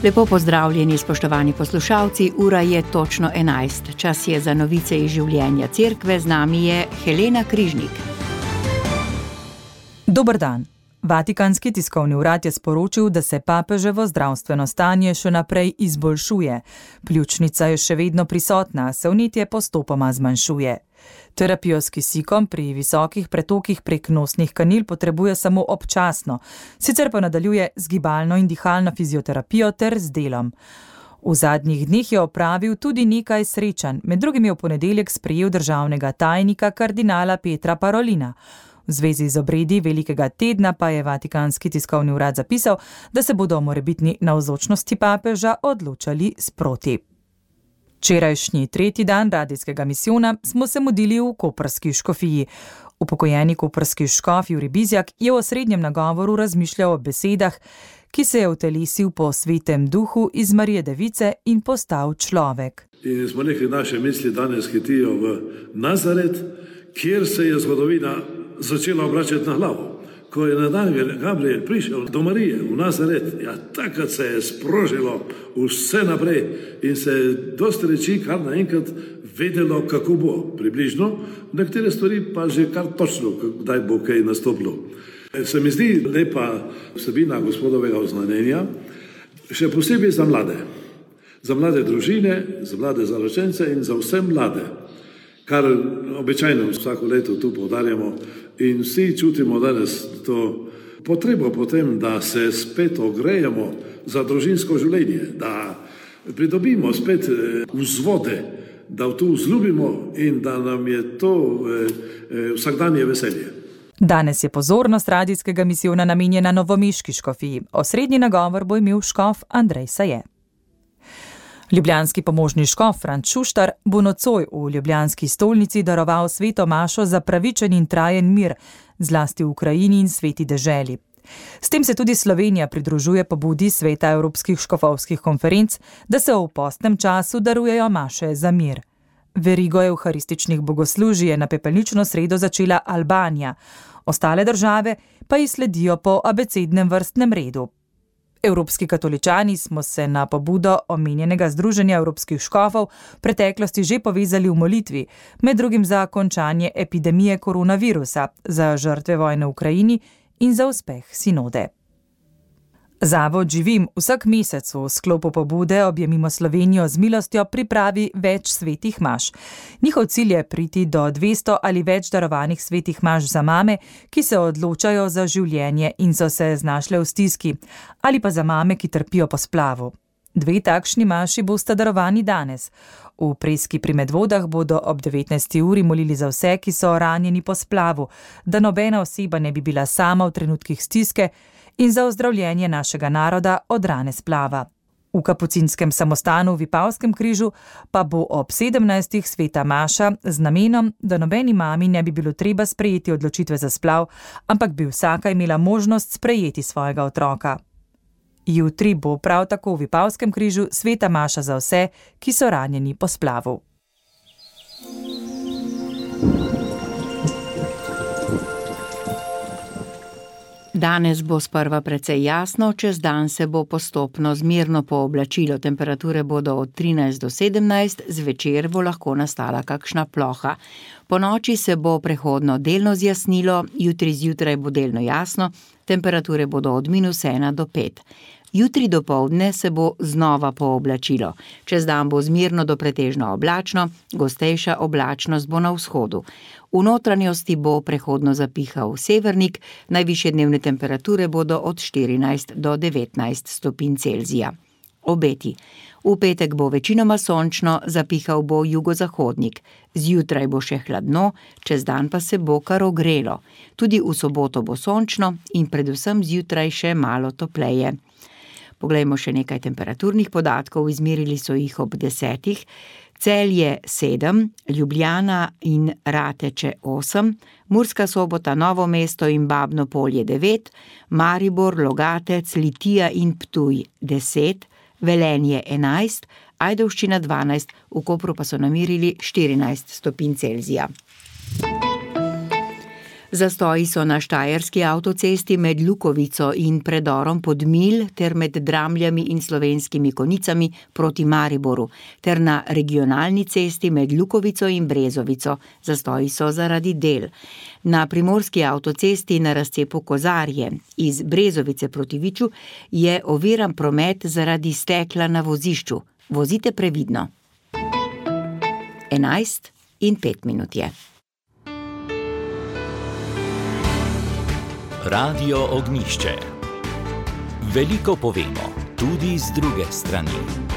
Lepo pozdravljeni, spoštovani poslušalci, ura je točno 11. Čas je za novice iz življenja cerkve, z nami je Helena Križnik. Dober dan. Vatikanski tiskovni urad je sporočil, da se papeževo zdravstveno stanje še naprej izboljšuje. Pljučnica je še vedno prisotna, se vnetje postopoma zmanjšuje. Terapijo s kisikom pri visokih pretokih prek nosnih kanil potrebuje samo občasno, sicer pa nadaljuje z gibalno in dihalno fizioterapijo ter z delom. V zadnjih dneh je opravil tudi nekaj srečanj, med drugim je v ponedeljek sprejel državnega tajnika kardinala Petra Parolina. V zvezi z obredi velikega tedna pa je Vatikanski tiskovni urad zapisal, da se bodo o morebitni navzočnosti papeža odločali sproti. Včerajšnji tretji dan radijskega misijona smo se mudili v koprski škofiji. Upokojeni koprski škof Jurij Bizjak je v osrednjem nagovoru razmišljal o besedah, ki se je utelesil po svetem duhu iz Marije Device in postal človek. In smo rekli, naše misli danes hitijo v Nazaret, kjer se je zgodovina začela obračati na glavo. Ko je na dan Gabriel prišel do Marije v Nazaret, takrat se je sprožilo vse naprej in se je dosti reči kar naenkrat vedelo, kako bo približno, nekatere stvari pa že kar točno, kdaj bo kaj nastopilo. Se mi zdi lepa vsebina gospodovega oznanjenja, še posebej za mlade družine, za mlade zaročence in za vse mlade, kar običajno vsako leto tu poudarjamo in vsi čutimo danes to potrebo potem, da se spet ogrejemo za družinsko življenje, da pridobimo spet vzvode, da to vzljubimo in da nam je to vsakdanje veselje. Danes je pozornost radijskega misijona namenjena novomeški škofiji. Osrednji nagovor bo imel škof Andrej Saje. Ljubljanski pomožni škof Franc Šuštar bo nocoj v ljubljanski stolnici daroval sveto mašo za pravičen in trajen mir, zlasti v Ukrajini in sveti deželi. S tem se tudi Slovenija pridružuje pobudi sveta Evropskih škofovskih konferenc, da se v postnem času darujejo maše za mir. Verigo evharističnih bogoslužij je na pepelnično sredo začela Albanija, ostale države pa ji sledijo po abecednem vrstnem redu. Evropski katoličani smo se na pobudo omenjenega Združenja evropskih škofov v preteklosti že povezali v molitvi, med drugim za končanje epidemije koronavirusa, za žrtve vojne v Ukrajini in za uspeh sinode. Zavod Živim vsak mesec v sklopu pobude Objemimo Slovenijo z milostjo pripravi več svetih maš. Njihov cilj je priti do 200 ali več darovanih svetih maš za mame, ki se odločajo za življenje in so se znašle v stiski, ali pa za mame, ki trpijo po splavu. 2 takšni maši bosta darovani danes. V Preski pri Medvodah bodo ob 19. uri molili za vse, ki so ranjeni po splavu, da nobena oseba ne bi bila sama v trenutkih stiske, in za ozdravljenje našega naroda od rane splava. V kapucinskem samostanu v Vipavskem križu pa bo ob 17. sveta maša z namenom, da nobeni mami ne bi bilo treba sprejeti odločitve za splav, ampak bi vsaka imela možnost sprejeti svojega otroka. Jutri bo prav tako v Vipavskem križu sveta maša za vse, ki so ranjeni po splavu. Danes bo sprva precej jasno, čez dan se bo postopno zmerno pooblačilo, temperature bodo od 13 do 17, zvečer bo lahko nastala kakšna ploha. Ponoči se bo prehodno delno zjasnilo, jutri zjutraj bo delno jasno, temperature bodo od -1 do 5. Jutri dopoldne se bo znova pooblačilo. Čez dan bo zmerno do pretežno oblačno, gostejša oblačnost bo na vzhodu. V notranjosti bo prehodno zapihal severnik, najvišje dnevne temperature bodo od 14 do 19 stopinj Celzija. Obeti. V petek bo večinoma sončno, zapihal bo jugozahodnik. Zjutraj bo še hladno, čez dan pa se bo kar ogrelo. Tudi v soboto bo sončno in predvsem zjutraj še malo topleje. Poglejmo še nekaj temperaturnih podatkov, izmerili so jih ob 10. Celje 7, Ljubljana in Rateče 8, Murska Sobota, Novo mesto in Babno Polje 9, Maribor, Logatec, Litija in Ptuj 10, Velenje 11, Ajdovščina 12, v Kopru pa so namerili 14 stopinj Celzija. Zastoji so na štajerski avtocesti med Lukovico in predorom Podmilj ter med Dramljami in Slovenskimi Konicami proti Mariboru ter na regionalni cesti med Lukovico in Brezovico. Zastoji so zaradi del. Na primorski avtocesti na razcepu Kozarje iz Brezovice proti Viču je oviran promet zaradi stekla na vozišču. Vozite previdno. 11:05 je. Radio Ognjišče. Veliko povemo, tudi z druge strani.